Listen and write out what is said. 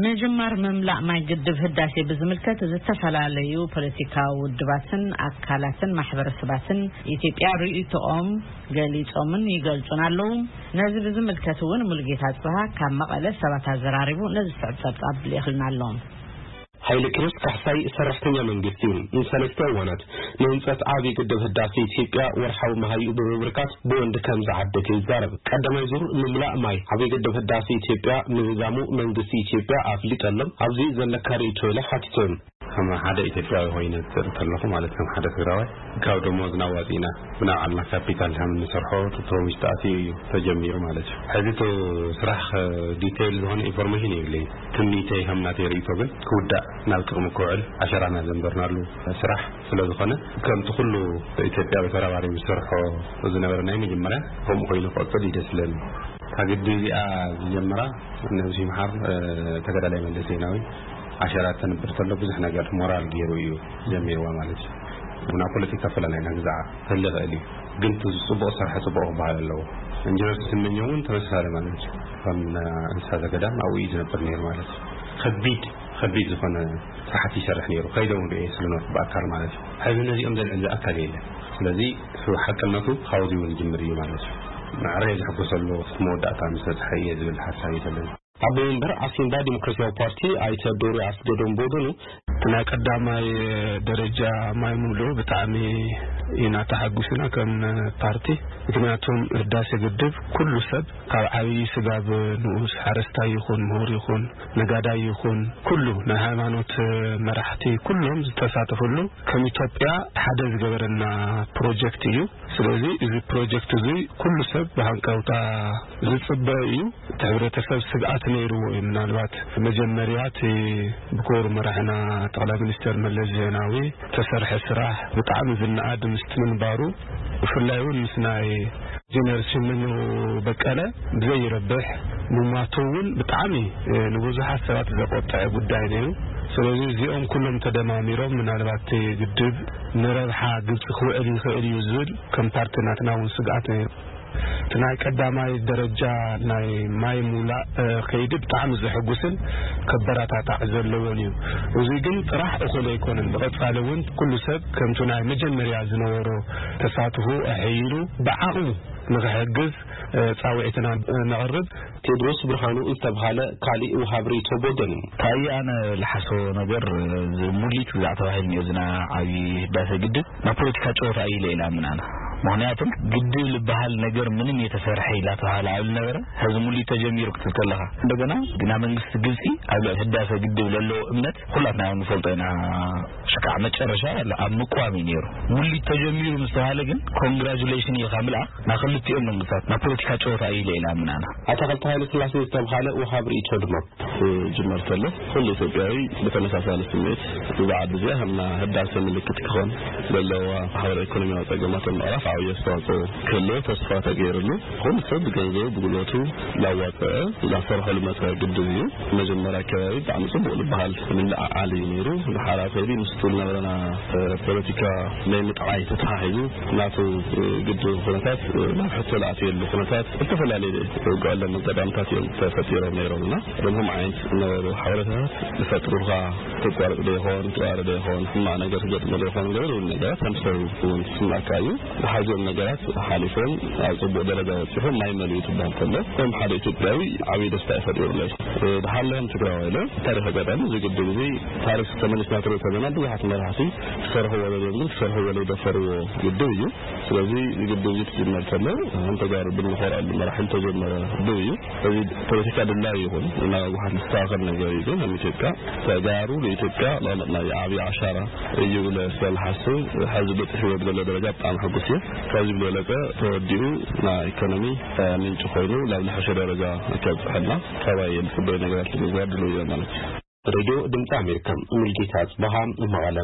ምጅማር ምምላእ ማይ ግድብ ህዳሴ ብዝምልከት ዝተፈላለዩ ፖለቲካዊ ውድባትን ኣካላትን ማሕበረሰባትን ኢትዮጵያ ርእይቶኦም ገሊጾምን ይገልጹን ኣለዉ። ነዚ ብዝምልከት እውን ሙሉጌታ ጽብሃ ካብ መቐለ ሰባት ኣዘራሪቡ ነዚ ዝስዕብ ጸብጻብ ልኢኽልና ኣሎ። ሓይለ ኪሮስ ካሕሳይ ሰራሕተኛ መንግስቲ እዩ። ንሰለስተ እዋናት ንህንፀት ዓብዪ ግድብ ህዳሴ ኢትዮጵያ ወርሓዊ መሃይኡ ብምብርካት ብወንድ ከም ዝዓደገ ይዛረብ። ቀዳማይ ዙር ምምላእ ማይ ዓብዪ ግድብ ህዳሴ ኢትዮጵያ ምህዛሙ መንግስቲ ኢትዮጵያ ኣፍሊጠሎም። ኣብዚ ዘለካ ርእይቶ ኢለ ሓቲቶም። ከም ሓደ ኢትዮጵያዊ ኮይነ ዝርኢ ከለኹ ማለት ከም ሓደ ትግራዋይ ካብ ደሞዝና ኣዋፂእና ብናይ ባዕልና ካፒታል ከም እንሰርሖ ፕሮሚስ ተኣትዩ እዩ ተጀሚሩ ማለት እዩ። ሕዚ እቲ ስራሕ ዲቴይል ዝኾነ ኢንፎርሜሽን የብለይን። ትምኒተይ ከም ናተይ ርእይቶ ግን ክውዳእ ናብ ጥቕሚ ክውዕል ዓሸራና ዘንበርናሉ ስራሕ ስለ ዝኾነ ከምቲ ኩሉ ኢትዮጵያዊ ተራባሪቡ ዝሰርሖ ዝነበረ ናይ መጀመርያ ከምኡ ኮይኑ ክቕፅል እዩ ደስ ዝብለኒ። እታ ግድብ እዚኣ ዝጀመራ ነብሲ ይምሓር ተጋዳላይ መለስ ዜናዊ ዓሸራ ተንብር ተሎ ብዙሕ ነገር ሞራል ገይሩ እዩ ጀሚርዋ ማለት እዩ። ብና ፖለቲካ ፈላላይና ግዛዓ ክህሊ ይኽእል እዩ፣ ግን እቲ ጽቡቕ ዝሰርሐ ጽቡቕ ክበሃል ኣለዎ። ኢንጂነር ስመኘው እውን ተመሳሳሊ ማለት እዩ። ከም እንስሳ ዘገዳም ኣብኡ እዩ ዝነብር ነይሩ ማለት እዩ። ከቢድ ከቢድ ዝኾነ ስራሕቲ ይሰርሕ ነይሩ። ከይደውን ርኤ ስለኖርኩ ብኣካል ማለት እዩ። ሕዚ ነዚኦም ዘልዕል ኣካል የለን። ስለዚ ሓቅነቱ ካብዚ እውን ይጅምር እዩ ማለት እዩ። ማዕረ እየ ዝሕጎሰሉ እስከ መወዳእታ ምስ በፅሐ እየ ዝብል ሓሳብ እዩ ዘለኒ። ኣቦ መንበር ዓሲምባ ዲሞክራሲያዊ ፓርቲ ኣይተ ዶሪ ኣስገዶም ብወገኑ፣ እቲ ናይ ቀዳማይ ደረጃ ማይ ምምልኡ ብጣዕሚ ኢና ተሓጒስና ከም ፓርቲ። ምክንያቱም ህዳሴ ግድብ ኩሉ ሰብ ካብ ዓብዪ ስጋብ ንኡስ ሓረስታይ ይኹን ምሁር ይኹን ነጋዳይ ይኹን ኩሉ ናይ ሃይማኖት መራሕቲ ኩሎም ዝተሳተፍሉ ከም ኢትዮጵያ ሓደ ዝገበረና ፕሮጀክት እዩ። ስለዚ እዚ ፕሮጀክት እዚ ኩሉ ሰብ ብሃንቀውታ ዝፅበ እዩ። እቲ ሕብረተሰብ ስግኣት ነይርዎ እዩ። ምናልባት መጀመርያ እቲ ብክቡር መራሕና ጠቕላይ ሚኒስትር መለስ ዜናዊ ተሰርሐ ስራሕ ብጣዕሚ ዝነኣድ ምስቲ ምንባሩ ብፍላይ እውን ምስ ናይ ኢንጂነር ስመኘው በቀለ ብዘይረብሕ ምሟቱ እውን ብጣዕሚ ንብዙሓት ሰባት ዘቆጠዐ ጉዳይ ነይሩ። ስለዚ እዚኦም ኩሎም ተደማሚሮም ምናልባት እቲ ግድብ ንረብሓ ግብፂ ክውዕል ይኽእል እዩ ዝብል ከም ፓርቲ ናትና እውን ስግኣት ነይሩ። እቲ ናይ ቀዳማይ ደረጃ ናይ ማይ ሙላእ ከይዲ ብጣዕሚ ዘሐጉስን ከበረታታዕ ዘለዎን እዩ። እዚ ግን ጥራሕ እኹል ኣይኮነን። ብቐፃሊ እውን ኩሉ ሰብ ከምቲ ናይ መጀመርያ ዝነበሮ ተሳትፎ ኣሐይሉ ብዓቕሙ ንኽሕግዝ ፃውዒትና ነቕርብ። ቴድሮስ ብርሃኑ ዝተብሃለ ካሊእ ውሃብ ርእይቶ ብወገኑ፣ ታየ ኣነ ልሓስቦ ነገር ሙሊት ግዛዕ ተባሂሉ እኒኦ ዝና ዓብዪ ህዳሴ ግድብ ናብ ፖለቲካ ጨወታ እዩ ኢለ ኢላ ምናና። ምክንያቱም ግድብ ዝበሃል ነገር ምንም የተሰርሐ ኢላ ተባሃለ ኣብ ነበረ ሕዚ ሙሊት ተጀሚሩ ክትብል ከለኻ እንደገና ግና መንግስቲ ግብፂ ኣብ ልዕሊ ህዳሴ ግድብ ለለዎ እምነት ኩላትና ንፈልጦ ኢና። ሽካዕ መጨረሻ ኣብ ምቋም እዩ ነይሩ። ሙሊት ተጀሚሩ ምስ ተባሃለ ግን ኮንግራጁሌሽን ኢልካ ምልኣኽ ናብ ክልቲኦም መንግስታት ናብ ፖለቲካ ጨወታ እዩ ኢለ ኢላ ምናና። ኣታ ክልተ ሃይለ ስላሴ ዝተብሃለ ውሃብ ርእይቶ ድማ። ክጅመር ከሎ ኩሉ ኢትዮጵያዊ ብተመሳሳሊ ስምዒት እዛ ዓዲ እዚኣ ከም ህዳሴ ምልክት ክኾን ዘለዋ ማሕበራዊ ኢኮኖሚያዊ ፀገማት ምዕራፍ ዓብዪ ኣስተዋፅኦ ክህልዎ ተስፋ ተገይርሉ ኩሉ ሰብ ብገንዘቡ ብጉልበቱ ላዋፀዐ ላሰርሖ ልመፀ ግድብ እዩ። መጀመርያ ኣከባቢ ብጣዕሚ ፅቡቅ ዝበሃል ምልዕዓል እዩ ነይሩ። ድሓር ኣብ ከይዲ ምስቱ ዝነበረና ፖለቲካ ናይ ምጥዓይ ተተሓሒዙ ናቱ ግድብ ኩነታት ናብ ሕቶ ዝኣትየሉ ኩነታት ዝተፈላለዩ ውግኣሎም ኣጋጣምታት እዮም ተፈጢሮም ነይሮም እና ደምኹም ዓይነት ዝነበሩ ሓበሬታታት ዝፈጥሩልካ ትቋረጥ ዶ ይኾን ትባረ ዶ ይኾን ሕማቕ ነገር ክገጥሞ ዶ ይኾን ገለ እውን ነገራት ከም ሰብ እውን ዝስማዕካ እዩ። ዝሓዝኦም ነገራት ሓሊፎም ኣብ ፅቡቅ ደረጃ በፂሑ ማይ መሊኡ ትበሃል ከሎ ከም ሓደ ኢትዮጵያዊ ዓብዪ ደስታ እዩ ፈጢሩለይ። ድሓለዮም ትግራዋይ ኢለ ታሪክ ኣጋጣሚ እዚ ግድብ እዚ ታሪክ ተመሊስና ትርኢ ከለና ብዙሓት መራሕቲ ክሰርሕዎ ደልዮም ግን ክሰርሕዎ ዘይደፈርዎ ግድብ እዩ። ስለዚ እዚ ግድብ እዚ ክጅመር ከሎ ከም ተጋሩ ብንኾርዐሉ መራሕል ተጀመረ ግድብ እዩ። እዚ ፖለቲካ ድላይ ይኹን ናብ ህወሓት ዝስተኻኸል ነገር እዩ። ግን ከም ኢትዮጵያ ተጋሩ ንኢትዮጵያ ለውለጥና ዓብዪ ዓሻራ እዩ ብለ ስለዝሓስብ ሕዚ በፂሕዎ ብዘሎ ደረጃ ብጣዕሚ ሕጉስ እየ። ካብዚ ብዝበለፀ ተወዲኡ ናይ ኢኮኖሚ ምንጪ ኮይኑ ናብ ዝሓሸ ደረጃ ከብፅሐልና ካባይ የልፅበይ ነገራት ንምግባር ድልው እየ ማለት እዩ። ሬድዮ ድምፂ ኣሜሪካ፣ ሙልጌታ ኣፅበሃ፣ መቐለ።